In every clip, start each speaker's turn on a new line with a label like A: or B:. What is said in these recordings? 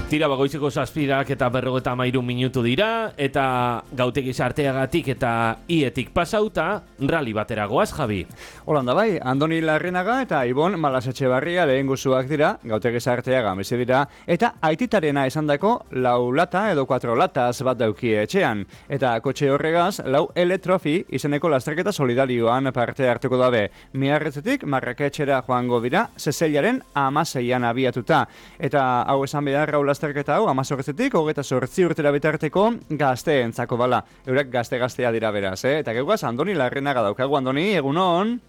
A: Tira bagoitzeko 7:53 minutu dira, eta gautegi sarteagatik eta ietik pasauta, rally batera goaz, Javi.
B: Holanda bai, Andoni Larrinaga eta Ibon Malasetxebarria lehen guzuak dira, gautegi sarteaga bizi dira, eta aititarena esandako 4 lata edo 4 lataz bat daukie etxean. Eta kotxe horregaz, 4 L-Trophy izeneko lasterketa solidarioan parte hartuko dabe. Miarretzetik Marraketxera joango dira, Sezellaren 16an abiatuta. Eta hau esan behar lasterketa hau, 18etik, 28 urtera bitarteko gazteentzako bala. Eurek gazte-gaztea dira beraz, Eta geugaz, Andoni Larrinaga daukagu. Andoni, egunon?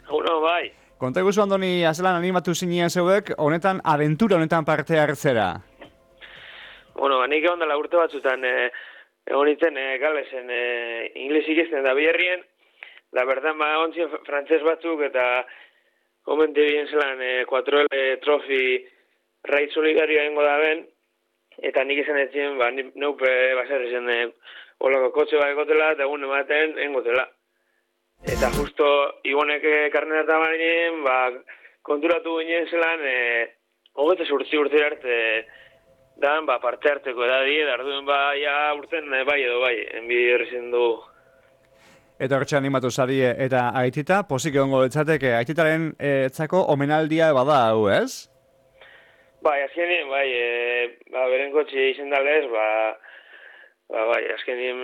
C: Egunon, bai.
B: Konta eguzu, Andoni, azelan animatu zinien zeuek, honetan, aventura honetan parte hartzera?
C: Bueno, nik egon dela urte batzutan, egon nintzen galesen ingles ikizten da biherrien, da berdan ontzien frantzes batzuk eta komente bien zelan 4L Trophy Raid Solidario egingo da ben, eta nik izan etzien, neupe baser izan olako kotxe bat egotela, eta egun ematen egotela. Eta justo Ibonek karneta bainen, konturatu ginen zelan, 28 urte arte, dan, parte harteko edadie, da arduen ja urten bai edo bai, enbi errezen du.
B: Eta hortxe animatu zarie, eta aitita, posik egongo litzateke, aititaren etzako omenaldia bada hau, ez?
C: Bai, azkenien, beren kotxe izen dalez, azkenien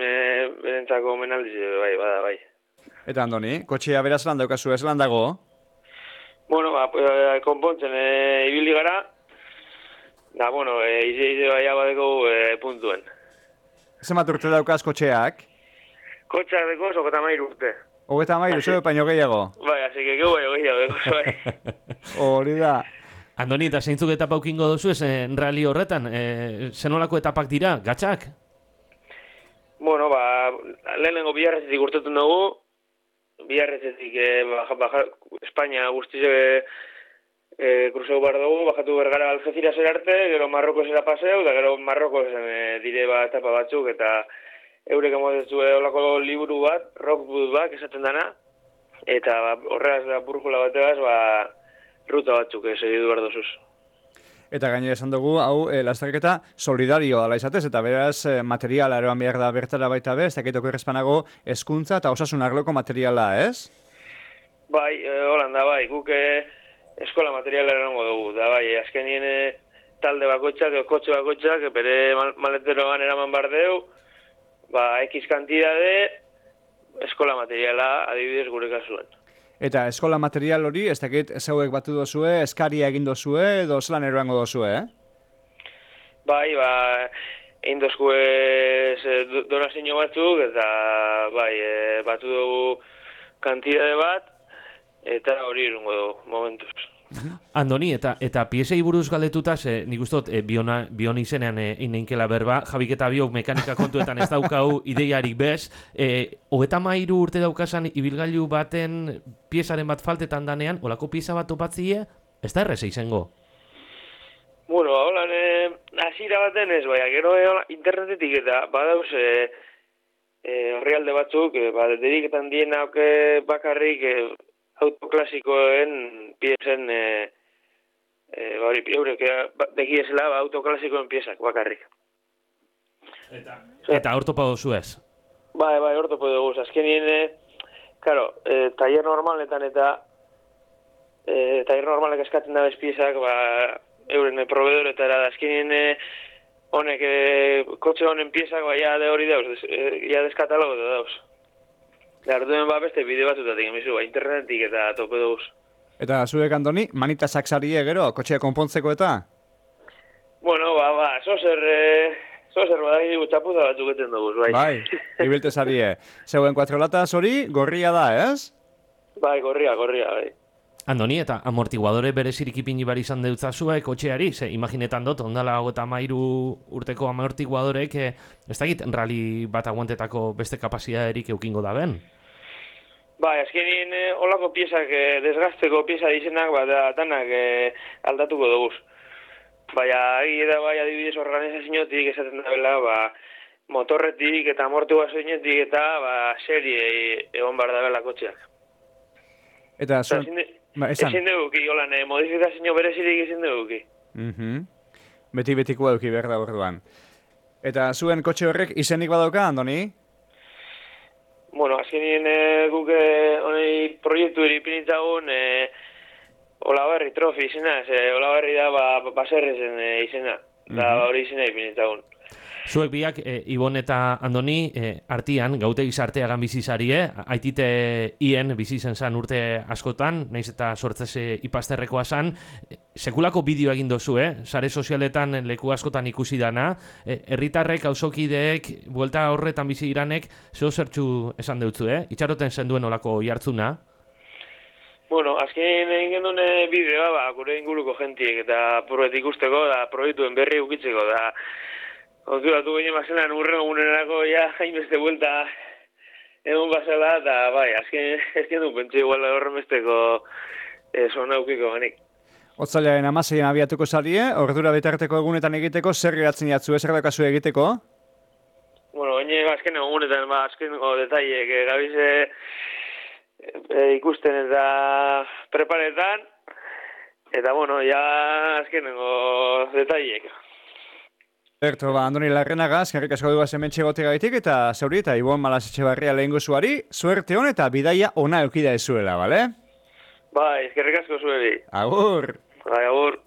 C: berentzako omenaldiz, bada, bai.
B: Eta Andoni, kotxea beraz lan daukazu, ez lan dago?
C: Bueno, konpontzen ibili gara, da, bueno, ize baia badeko puntuen.
B: Zenbat urte daukaz kotxeak?
C: Kotxeak deko, 33 urte.
B: 33, zeu paino gehiago?
C: Bai, así que baino gehiago, bai.
B: Hori da.
A: Andoni, eta zeintzuk etapa ukingo duzu ez rally horretan? Zenolako etapak dira, gatxak?
C: Bueno, lehenengo biharretzetik urtetun dugu, biharretzetik Espainia guztize kruzeu bar dugu, bajatu bergara Algeciras arte, gero Marrokosera paseu, da gero Marrokosen dire etapa batzuk, eta eurek emotetu olako liburu bat, rockbook bat, esaten dana, eta horregaz burjula bategaz, ruta batzuk segidu behar dozuz.
B: Eta gainera esan dugu, hau, lasterketa solidario dela izatez, eta beraz materiala eroan behar da bertara baita be, ez dakitoko errezpanago hezkuntza eta osasun arloko materiala, ez?
C: Bai, Holanda, bai, guk eskola materiala erango dugu, da bai, azkenien talde bakoitzak, kotxe bakoitzak, bere maleteroan eraman bardeu, X kantidade eskola materiala adibidez gure kasuen.
B: Eta eskola material hori, ez dakit zeuek batu dozue, eskaria egin dozue, edo zelan eroango dozue,
C: Bai, egin dozue donazio batzuk, eta batu dugu kantidade bat, eta hori irungo dugu, momentuz.
A: Andoni, eta piesei buruz galdetuta, nik ustot, bion izenean ineinkela berba, Jabik eta biok mekanika kontuetan ez daukau ideiarik bez, 33 urte daukasan ibilgailu baten piezaren bat faltetan danean, olako pieza bat topatzie, ez da erreza izango?
C: Bueno, holan, hasiera baten ez, gero internetetik eta badauz horrialde batzuk, dediketan diena bakarrik autoklasikoen piesen, eurek begiesela autoklasikoen piesak bakarrik.
A: Eta hor topa dozu ez?
C: Bai, hor topa dugu. Azkenien, taller normaletan eta taller normalek eskatzen da bez piesak, euren proveedoretara da. Azkenien honek kotxe honen piesak, ja de hori dauz, ja deskatalogo da dauz. Arduen beste bideo batutatik emizu, internetik eta tope duguz.
B: Eta zuek, Andoni, manita saksarie gero, kotxea konpontzeko eta?
C: Bueno, zozer badaki txapuza batzuk eten duguz, bai.
B: Bai, ibiltez arie. Zeuen 4 lataz hori, gorria da, ez?
C: Bai, gorria, bai.
A: Andoni, eta amortiguadore berezirik ipini bar izan deutzazua kotxeari, imaginetan dut, ondala 33 urteko amortiguadorek, ez dakit rally bat aguantetako beste kapazitaterik eukingo da ben?
C: Bai, azkenien olako piezak, desgazteko pieza dizenak, danak aldatuko duguz. Adibidez organizaziotik esaten da bela, motorretik eta amortiguazioetik eta serie egon behar da bela kotxeak.
B: Eta
C: ezin dugu ki, modifikazio berezirik ezin dugu ki.
B: Beti-betikoa eduki behar da orduan. Eta zuen kotxe horrek izenik badauka, Andoni?
C: Bueno, azkenien guk honei proiektu eripinitzagun Olabarri trofi izena, Olabarri da baserrezen izena, da hori izena ipinitzagun.
A: Zuek biak, Ibon eta Andoni, artian, gautegi sarteagan bizizarie, aitite hien bizi zen urte askotan, naiz eta sortzese ipasterrekoa zan, sekulako bideo egin dozu, sare sozialetan leku askotan ikusi dana, herritarrek, auzokideek, buelta horretan bizi iranek, zeo zertxu esan deutzu, itxaroten zenduen olako jartzuna?
C: Bueno, azken egin gendun bideoa, gure inguruko jentiek, eta probet ikusteko, da proiektuen berri ukitzeko, da konturatu ginen bazenan urren egunerako hainbeste buelta egon bazela, eta bai, azken du pentsu igual horren besteko zona aukiko ganik.
B: Otzailaren 16an abiatuko zarie, ordura bitarteko egunetan egiteko, zer geratzen jatzu, zer daukazu egiteko?
C: Bueno, azken egunetan, azkeneko detaiek gabize ikusten eta preparetan, eta bueno, azkeneko detaiek.
B: Berto, Andoni Larrenaga, eskerrik asko duaz hementxe gotegaitik eta zauri eta Ibon Malas Etxebarria lehengozuari, suerte hon eta bidaia ona eukida ezuela, bale?
C: Bai, eskerrik asko zueri.
B: Agur!
C: Bai, agur.